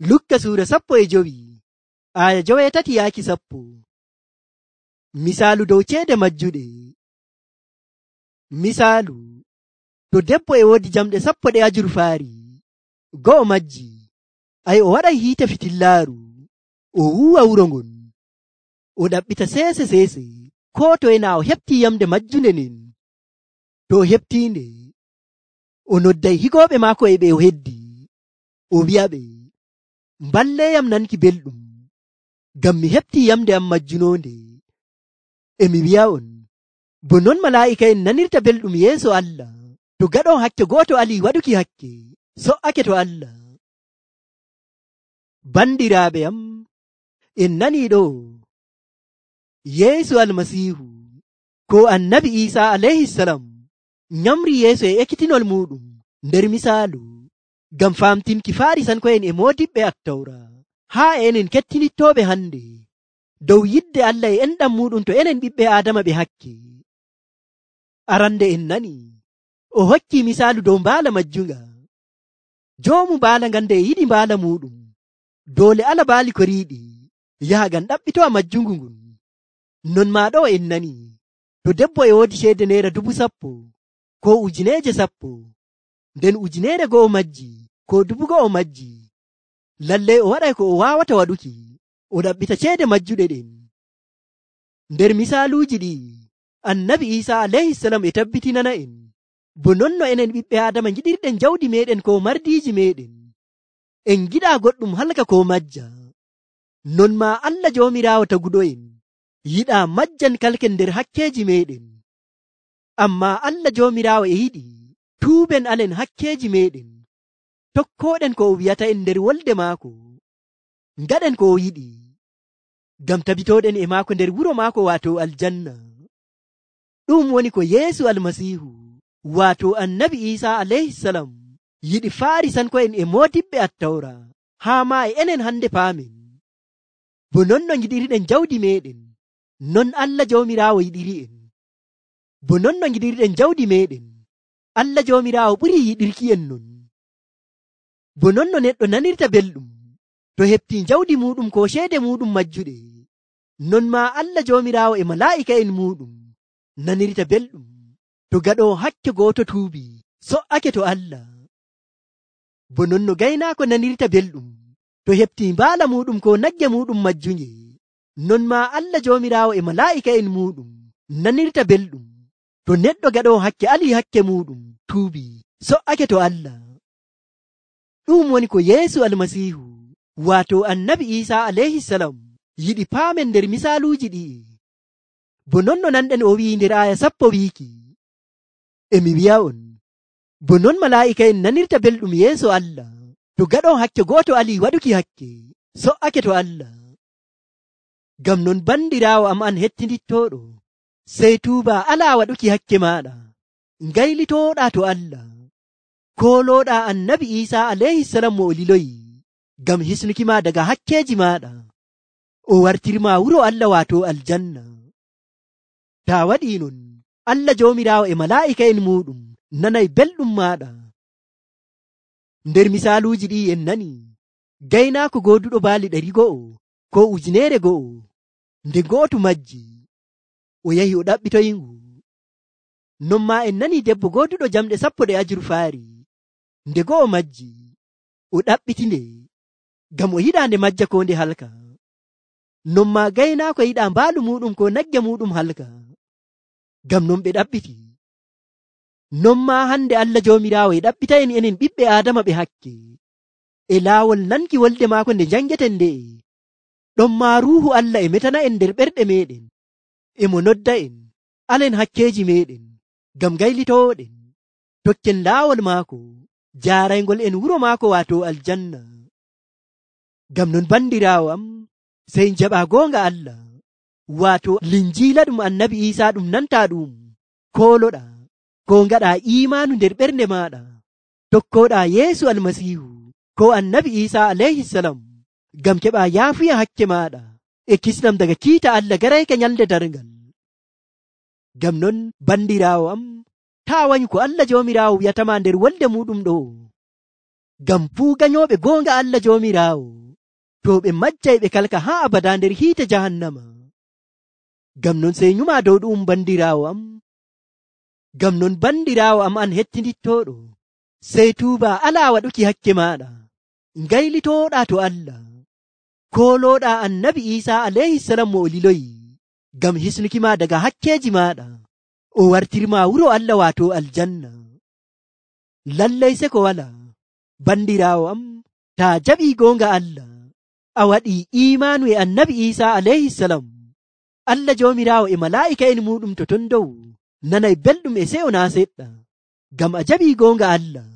Lukka suura 15 aya 8 yaaki 10. Misaalu dow ceede majjuɗe. Misaalu, to debbo e woodi jamɗe 10 ajurfaari, go'o majji, o waɗay hiite fitillaaru, o wuuwa wuro ngon, o ɗaɓɓita seese koo toye naa o heɓtii yamde majjunde nden. To o heɓtiinde, o nodday higooɓe maako e ɓe o heddi, o wi'aɓe, mballeeyam nanki belɗum, ngam mi heɓtii yamde am majjunonde. E mi wi'a'on, bo non malaa'ika'en nanirta belɗum yeeso Allah, to gaɗon hakke gooto alii waɗuki hakke, so''ake to Allah. Bandiraaɓe am, en nanii ɗo, Yeesu Almasiihu, ko Annabi Iisaa alayhisalam, nyamri yeeso e ekkitinol muuɗum nder misaalu, ngam faamtinki Faarisanko'en e moodiɓɓe Attawra, haa enen kettinittooɓe hande, dow yidde Allah e enɗam muuɗum to enen ɓiɓɓe Aadama ɓe hakke. Arande en nani, o hokki misaalu dow mbaala majjunga. Joomu mbaala ngan nde yiɗi mbaala muuɗum, doole ala baali ko riiɗi, yaha ngam ɗaɓɓitowa majjungu ngun. Non maa ɗo en nani, to debbo e woodi ceede naira 10,000 ko 1,000, nden 1,000 majji ko 2,000 majji, lallai o waɗay ko o waawata waɗuki, o ɗaɓɓita ceede majjuɗe ɗen. Nder misaaluuji ɗi, Annabi Iisaa alayhisalam e tabbitinana en, bo non no enen ɓiɓɓe Aadama ngiɗirɗen jawdi meɗen ko mardiiji meɗen, en giɗaa goɗɗum halka ko majja. Non maa Allah Joomiraawo taguɗo'en yiɗaa majjan kalken nder hakkeeji meɗen. Ammaa Allah Joomiraawo e yiɗi tuuben alen hakkeeji meɗen, tokkooɗen ko o wi'ata en nder wolde maako, ngaɗen ko o yiɗi, ngam tabitooɗen e maako nder wuro maako waato aljanna. Ɗum woni ko Yeesu Almasiihu, waato Annabi Iisaa alayhisalam, yiɗi Faarisanko'en e moodiɓɓe Attawra, haa maa e enen hande paamen. Bo non no ngiɗirɗen jawdi meɗen, non Allah Joomiraawo yiɗiri'en. Bo non no ngiɗirɗen jawdi meɗen, Allah Joomiraawo ɓurii yiɗirki'en non. Bo non no neɗɗo nanirta belɗum to heɓtii jawdi muuɗum ko ceede muuɗum majjuɗe, non maa Allah Joomiraawo e malaa'ika'en muuɗum nanirta belɗum to gaɗoo hakke gooto tuubi, so''ake to Allah. Bo non no gaynaako nanirta belɗum to heɓtii mbaala muuɗum ko nagge muuɗum majjunge, non maa Allah Joomiraawo e malaa'ika'en muuɗum nanirta belɗum to neɗɗo gaɗoo hakke alii hakke muuɗum tuubi, so''ake to Allah. Ɗum woni ko Yeesu Almasiihu, waato Annabi Iisaa alayhisalam, yiɗi paamen nder misaaluuji ɗi'i. Bo non no nanɗen o wi'i nder aya 10 wiiki, e mi wi'a'on, bo non malaa'ika'en nanirta belɗum yeeso Allah, to gaɗon hakke gooto alii waɗuki hakke, so''ake to Allah. Ngam non bandiraawo am an hettinittooɗo, sey tuuba alaa waɗuki hakke maaɗa, ngaylitooɗaa to Allah, koolooɗaa Annabi Iisaa alayhisalam mo o liloyi, ngam hisnuki ma daga hakkeeji maaɗa, o wartirma wuro Allah waato aljanna. Taa waɗii non, Allah Joomiraawo e malaa'ika'en muuɗum nanay belɗum maaɗa. Nder misaaluuji ɗi en nani, gaynaako gooduɗo baali 100 ko 1,000, nde gootu majji, o yahi o ɗaɓɓitoyingu. Non maa en nani debbo gooduɗo jamɗe 10 ajurfaari, nde go'o majji, o ɗaɓɓitinde, ngam o yiɗaa nde majja ko nde halka. Non maa gaynaako yiɗaa mbaalu muuɗum ko nagge muuɗum halka, ngam non ɓe ɗaɓɓiti. Non maa hande Allah Joomiraawo e ɗaɓɓita en enen ɓiɓɓe Aadama ɓe hakke, e laawol nanki wolde maako nde jangeten nde'e. Ɗon maa Ruuhu Allah e metana en nder ɓerɗe meɗen, e mo nodda en alen hakkeeji meɗen, ngam gaylitooɗen tokken laawol maako, jaaraygol en wuro maako waato aljanna. Ngam non bandiraawo am, sey jaɓaa goonga Allah, waato linjiila ɗum Annabi Iisaa ɗum nantaa ɗum, kooloɗaa ko ngaɗaa iimaanu nder ɓernde maaɗa, tokkooɗaa Yeesu Almasiihu ko Annabi Iisaa alayhisalam, ngam keɓaa yaafuya hakke maaɗa e kisnam daga kiita Allah garayka nyalde darngal. Ngam non bandiraawo am, taa wanyu ko Allah Joomiraawo wi'atama nder wolde muuɗum ɗo, Ngam fuu ganyooɓe goonga Allah Joomiraawo to ɓe majjay ɓe kalka haa abada nder hiite jahannama. Ngam non sey nyumaa dow ɗu'um bandiraawo am. Ngam non bandiraawo am an hettinittooɗo, sey tuuba alaa waɗuki hakke maaɗa, ngaylitooɗaa to Allah, koolooɗaa annabi Iisaa alayhisalam mo o liloyi, ngam hisnuki maa daga hakkeeji maaɗa, o wartirmaa wuro Allah waato aljanna. Lallay seko walaa, bandiraawo am, taa jaɓii goonga Allah, a waɗii iimaanu e annabi Iisaa alayhisalam, Allah Joomiraawo e malaa'ika'en muuɗum to ton dow nanay belɗum e seyo naa seɗɗa, ngam a jaɓii goonga Allah.